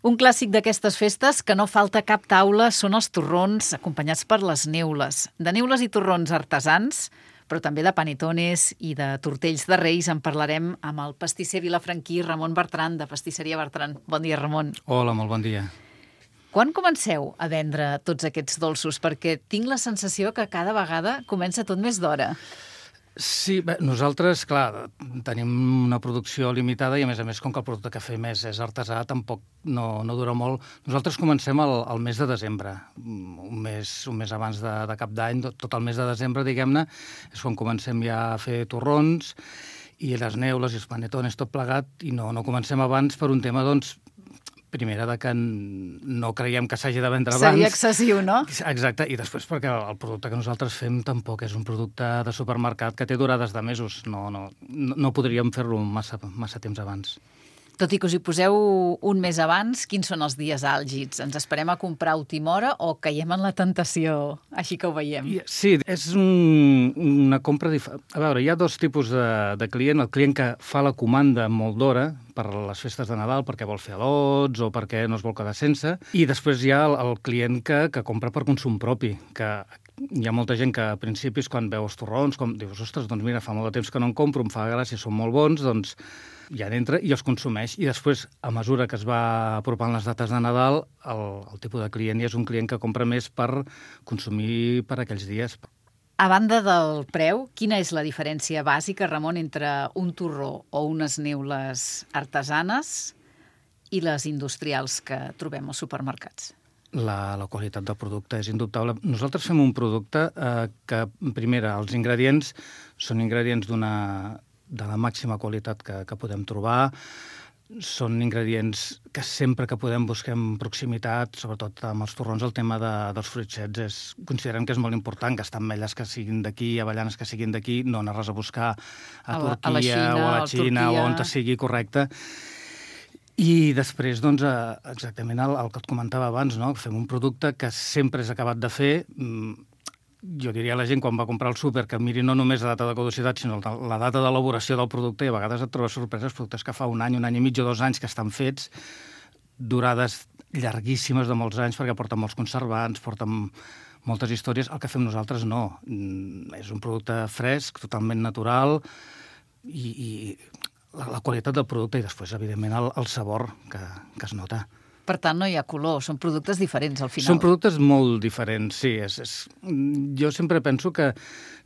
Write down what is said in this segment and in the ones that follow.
Un clàssic d'aquestes festes que no falta cap taula són els torrons acompanyats per les neules. De neules i torrons artesans, però també de panetones i de tortells de Reis en parlarem amb el pastisser vilafranquí Ramon Bertran, de Pastisseria Bertran. Bon dia, Ramon. Hola, molt bon dia. Quan comenceu a vendre tots aquests dolços? Perquè tinc la sensació que cada vegada comença tot més d'hora. Sí, bé, nosaltres, clar, tenim una producció limitada i, a més, com que el producte que fem és artesà, tampoc no dura molt. Nosaltres comencem al mes de desembre, un mes abans de Cap d'Any, tot el mes de desembre, diguem-ne, és quan comencem ja a fer torrons i les neules i els panetones, tot plegat, i no comencem abans per un tema, doncs, primera, que no creiem que s'hagi de vendre abans. Seria excessiu, no? Exacte, i després perquè el producte que nosaltres fem tampoc és un producte de supermercat que té durades de mesos. No podríem fer-lo massa temps abans. Tot i que us hi poseu un mes abans, quins són els dies àlgids? Ens esperem a comprar a última hora o caiem en la tentació, així que ho veiem? Sí, és una compra diferent. A veure, hi ha dos tipus de client. El client que fa la comanda molt d'hora per les festes de Nadal, perquè vol fer al·lots o perquè no es vol quedar sense. I després hi ha el client que compra per consum propi, que hi ha molta gent que a principis, quan veu els torrons, com dius, ostres, doncs mira, fa molt de temps que no en compro, em fa gràcia, són molt bons, doncs ja n'entra i els consumeix. I després, a mesura que es va apropant les dates de Nadal, el tipus de client ja és un client que compra més per consumir per aquells dies. A banda del preu, quina és la diferència bàsica, Ramon, entre un torró o unes neules artesanes i les industrials que trobem als supermercats? La qualitat del producte és indubtable. Nosaltres fem un producte que, primera, els ingredients són ingredients de la màxima qualitat que podem trobar. Són ingredients que sempre que podem busquem proximitat, sobretot amb els torrons. El tema dels fruitets considerem que és molt important, gastar ametlles que siguin d'aquí, avellanes que siguin d'aquí, no anar res a buscar a Turquia o a la Xina o on sigui correcte. I després, doncs, exactament el que et comentava abans, no? Fem un producte que sempre és acabat de fer. Jo diria a la gent, quan va comprar al súper, que miri no només la data de caducitat, sinó la data d'elaboració del producte, i a vegades et trobes sorpreses, productes que fa un any i mig o 2 anys que estan fets, durades llarguíssimes de molts anys, perquè porten molts conservants, porten moltes històries. El que fem nosaltres no. És un producte fresc, totalment natural, i la qualitat del producte i després, evidentment, el sabor que es nota. Per tant, no hi ha color, són productes diferents al final. Són productes molt diferents, sí. Jo sempre penso que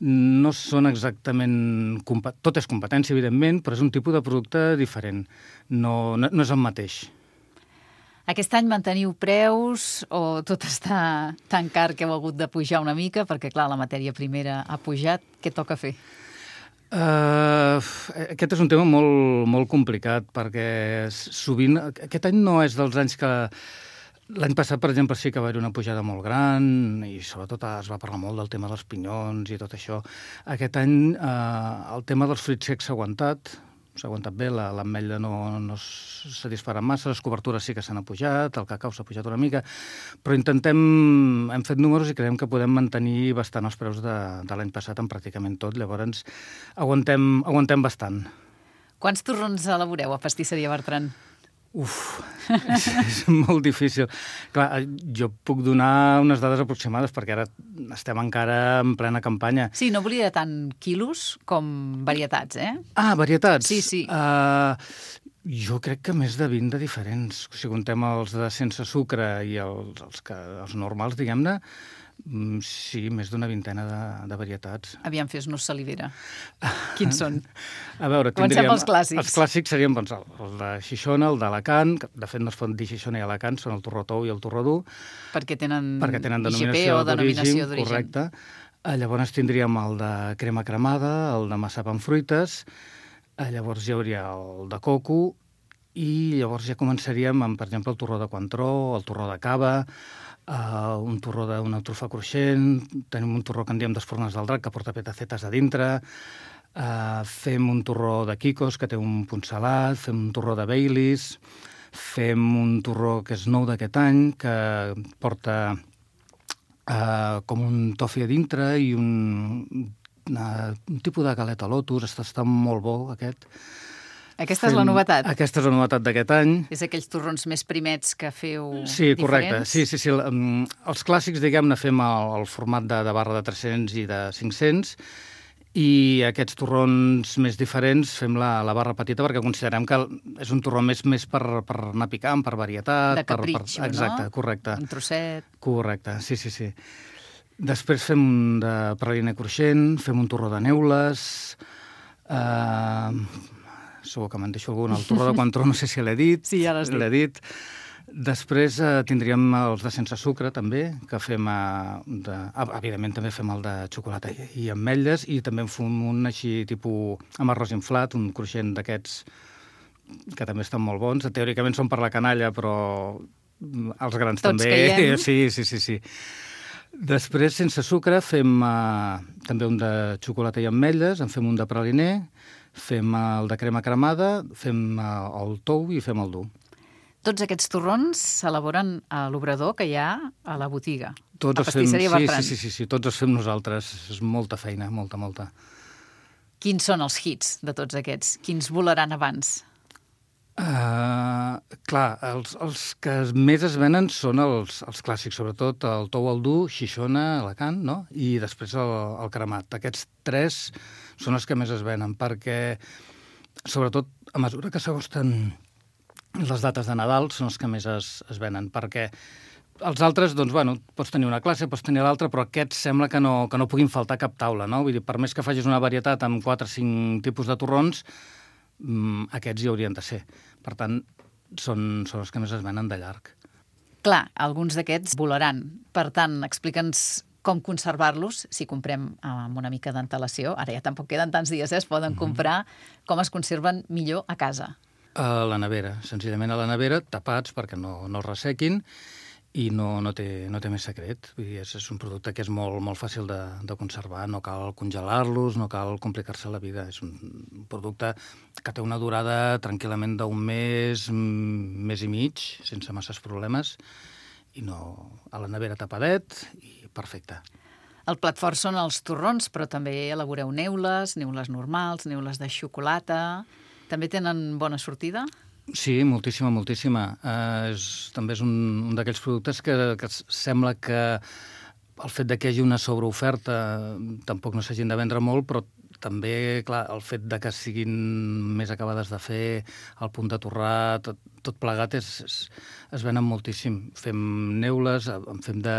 no són exactament... Tot és competència, evidentment, però és un tipus de producte diferent. No és el mateix. Aquest any manteniu preus o tot està tan car que heu hagut de pujar una mica? Perquè, clar, la matèria primera ha pujat. Què toca fer? Aquest és un tema molt, molt complicat, perquè sovint... Aquest any no és dels anys que... L'any passat, per exemple, sí que va haver una pujada molt gran i sobretot es va parlar molt del tema dels pinyons i tot això. Aquest any el tema dels fruits secs s'ha aguantat bé, l'ametlla no s'ha disparat massa, les cobertures sí que s'han pujat, el cacau s'ha pujat una mica, però hem fet números i creiem que podem mantenir bastant els preus de l'any passat en pràcticament tot, llavors aguantem bastant. Quants torrons elaboreu a Pastisseria Bertran? És molt difícil. Clar, jo puc donar unes dades aproximades perquè ara estem encara en plena campanya. Sí, no volia tant quilos com varietats, eh? Varietats? Sí. Jo crec que més de 20 de diferents. Si contem els de sense sucre i els normals, diguem-ne, sí, més d'una vintena de varietats. Aviam, fes-nos salivera. Quins són? A veure, comencem els clàssics. Els clàssics serien el de Xixona, el d'Alacant, que de fet no es pot dir Xixona i Alacant, són el torró tou i el torró dur. Perquè tenen denominació d'origen. Correcte. Llavors tindríem el de crema cremada, el de massapa amb fruites, llavors hi hauria el de coco i llavors ja començaríem amb, per exemple, el torró de Cointreau, el torró de cava, un torró d'una trufa cruixent, tenim un torró que en diem d'Espurnes del Drac, que porta petacetes a dintre, fem un torró de Kikos, que té un punt salat, fem un torró de Baileys, fem un torró que és nou d'aquest any, que porta com un tofi a dintre i un tipus de galeta Lotus, està molt bo aquest. Aquesta és la novetat. Aquesta és la novetat d'aquest any. És aquells torrons més primets que feu Sí, correcte. diferents? Sí. Els clàssics, diguem-ne, fem el format de barra de 300 i de 500, i aquests torrons més diferents fem la barra petita perquè considerem que és un torró més per anar picant, per varietat. De capritxo, no? Exacte, correcte. Un trosset. Correcte, sí. Després fem un de praliner cruixent, fem un torró de neules, segur que me'n deixo algun, el torró de Cointreau, no sé si l'he dit. Sí, ja l'has dit. L'he dit. Després tindríem els de sense sucre, també, que fem... evidentment, també fem el de xocolata i ametlles, i també en fem un així, tipus amb arròs inflat, un cruixent d'aquests que també estan molt bons. Teòricament són per la canalla, però els grans Tots també. caiem. Sí. Després, sense sucre, fem també un de xocolata i ametlles, en fem un de praliner, fem el de crema cremada, fem el tou i fem el dur. Tots aquests torrons s'elaboren a l'obrador que hi ha a la botiga, Tots a els fem, Pastisseria Bertran. sí, tots els fem nosaltres. És molta feina, molta. Quins són els hits de tots aquests? Quins volaran abans? Clar, els que més es venen són els clàssics, sobretot el tou al dur, Xixona, Alacant, no? I després el cremat. Aquests tres són els que més es venen, perquè, sobretot, a mesura que s'acosten les dates de Nadal, són els que més es venen, perquè els altres, doncs, bueno, pots tenir una classe, pots tenir l'altra, però aquests sembla que no puguin faltar a cap taula, no? Vull dir, per més que facis una varietat amb 4 o 5 tipus de torrons, aquests hi haurien de ser. Per tant, són els que més es venen de llarg. Clar, alguns d'aquests volaran. Per tant, explica'ns com conservar-los, si comprem amb una mica d'antelació. Ara ja tampoc queden tants dies, es poden comprar. Com es conserven millor a casa? A la nevera, senzillament a la nevera, tapats perquè no es ressequin, i no té més secret. Vull dir, és un producte que és molt fàcil de conservar, no cal congelar-los, no cal complicar-se la vida. És un producte que té una durada tranquil·lament d'un mes i mig, sense masses problemes, i a la nevera tapadet, i perfecte. El plat fort són els torrons, però també elaboreu neules normals, neules de xocolata. També tenen bona sortida? Sí, moltíssima. També és un d'aquells productes que sembla que el fet de que hi hagi una sobreoferta tampoc no s'hagin de vendre molt, però també, clar, el fet de que siguin més acabades de fer, el punt de torrar, tot plegat es venen moltíssim. Fem neules, en fem de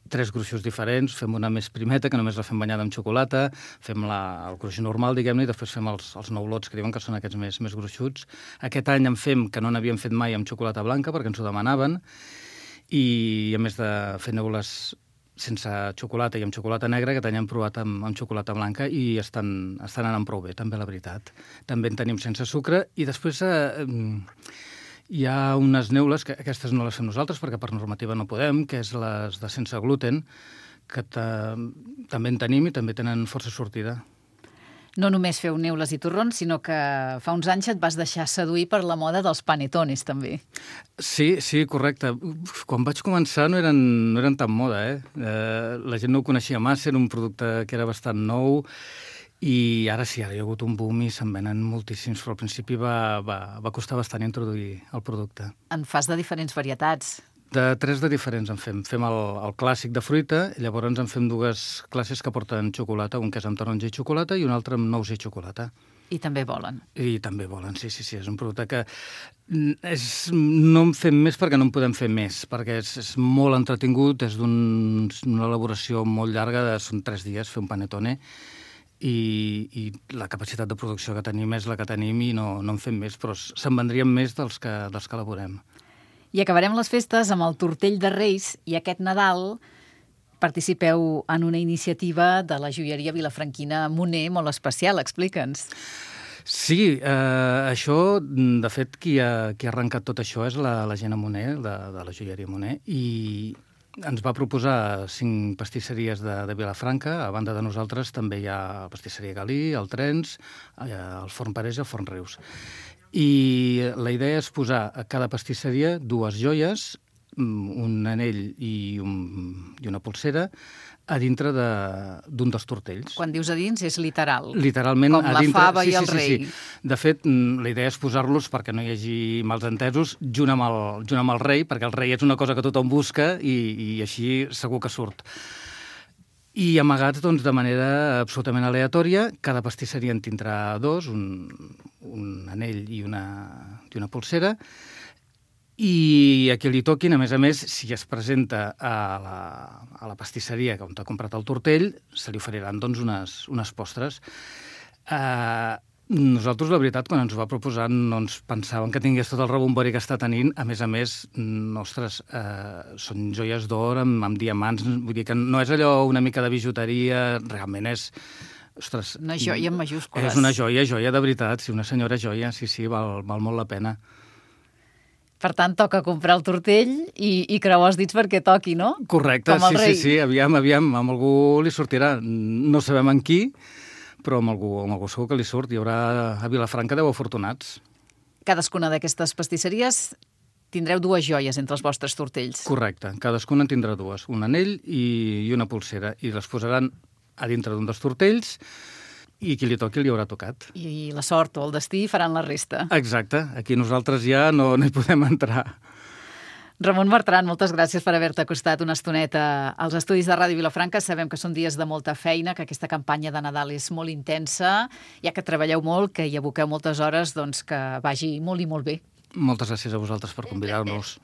3 gruixos diferents, fem una més primeta, que només la fem banyada amb xocolata, fem el gruix normal, diguem-ne, i després fem els noulots, que diuen que són aquests més gruixuts. Aquest any en fem, que no n'havíem fet mai, amb xocolata blanca, perquè ens ho demanaven, i a més de fer neules sense xocolata i amb xocolata negra, que hem provat amb xocolata blanca i estan anant prou bé, també, la veritat. També en tenim sense sucre, i després hi ha unes neules, que aquestes no les fem nosaltres perquè per normativa no podem, que és les de sense gluten, que també en tenim i també tenen força sortida. No només feu neules i torrons, sinó que fa uns anys et vas deixar seduir per la moda dels panetones, també. Sí, correcte. Quan vaig començar no eren tan moda, la gent no ho coneixia massa, era un producte que era bastant nou, i ara sí, ara hi ha hagut un boom i se'n venen moltíssims, però al principi va costar bastant introduir el producte. En fas de diferents varietats. De 3 de diferents en fem. Fem el clàssic de fruita, llavors en fem 2 classes que porten xocolata, un que és amb taronja i xocolata i un altre amb nous i xocolata. I també volen. I també volen, sí. És un producte que no en fem més perquè no en podem fer més, perquè és molt entretingut, és d'una elaboració molt llarga, són 3 dies fer un panetone, i la capacitat de producció que tenim és la que tenim i no en fem més, però se'n vendrien més dels que elaborem. I acabarem les festes amb el tortell de Reis, i aquest Nadal participeu en una iniciativa de la joieria vilafranquina Moner molt especial. Explica'ns. Sí, això, de fet, qui ha arrencat tot això és la Gemma Moner, de la joieria Moner, i ens va proposar 5 pastisseries de Vilafranca. A banda de nosaltres també hi ha la pastisseria Galí, el Trens, el Forn Parés i el Forn Rius. I la idea és posar a cada pastisseria 2 joies un anell i una polsera a dintre d'un dels tortells. Quan dius a dins és literal. Literalment com a la dintre. fava i el rei. Sí. De fet, la idea és posar-los, perquè no hi hagi mals entesos, junt amb el rei, perquè el rei és una cosa que tothom busca i així segur que surt. I amagats doncs, de manera absolutament aleatòria, cada pastisseria en tindrà dos, un anell i una polsera, i a qui li toquin, a més, si es presenta a la pastisseria on ha comprat el tortell, se li oferiran doncs, unes postres. Nosaltres, la veritat, quan ens ho va proposar, no ens pensàvem que tingués tot el rebombori que està tenint. A més, ostres, són joies d'or amb diamants. Vull dir que no és allò una mica de bijuteria, realment és... Ostres, una joia en majúscules. És una joia de veritat, sí, una senyora joia, sí, val molt la pena. Per tant, toca comprar el tortell i creuar els dits perquè toqui, no? Correcte, sí, aviam, amb algú li sortirà. No sabem en qui, però amb algú segur que li surt. Hi haurà a Vilafranca 10 afortunats. Cadascuna d'aquestes pastisseries tindreu dues joies entre els vostres tortells. Correcte, cadascuna en tindrà dues, un anell i una polsera, i les posaran a dintre d'un dels tortells, i qui li toqui li haurà tocat. I la sort o el destí faran la resta. Exacte. Aquí nosaltres ja no hi podem entrar. Ramon Bertran, moltes gràcies per haver-te acostat una estoneta als estudis de Ràdio Vilafranca. Sabem que són dies de molta feina, que aquesta campanya de Nadal és molt intensa, ja que treballeu molt, que hi aboqueu moltes hores, doncs que vagi molt i molt bé. Moltes gràcies a vosaltres per convidar-nos.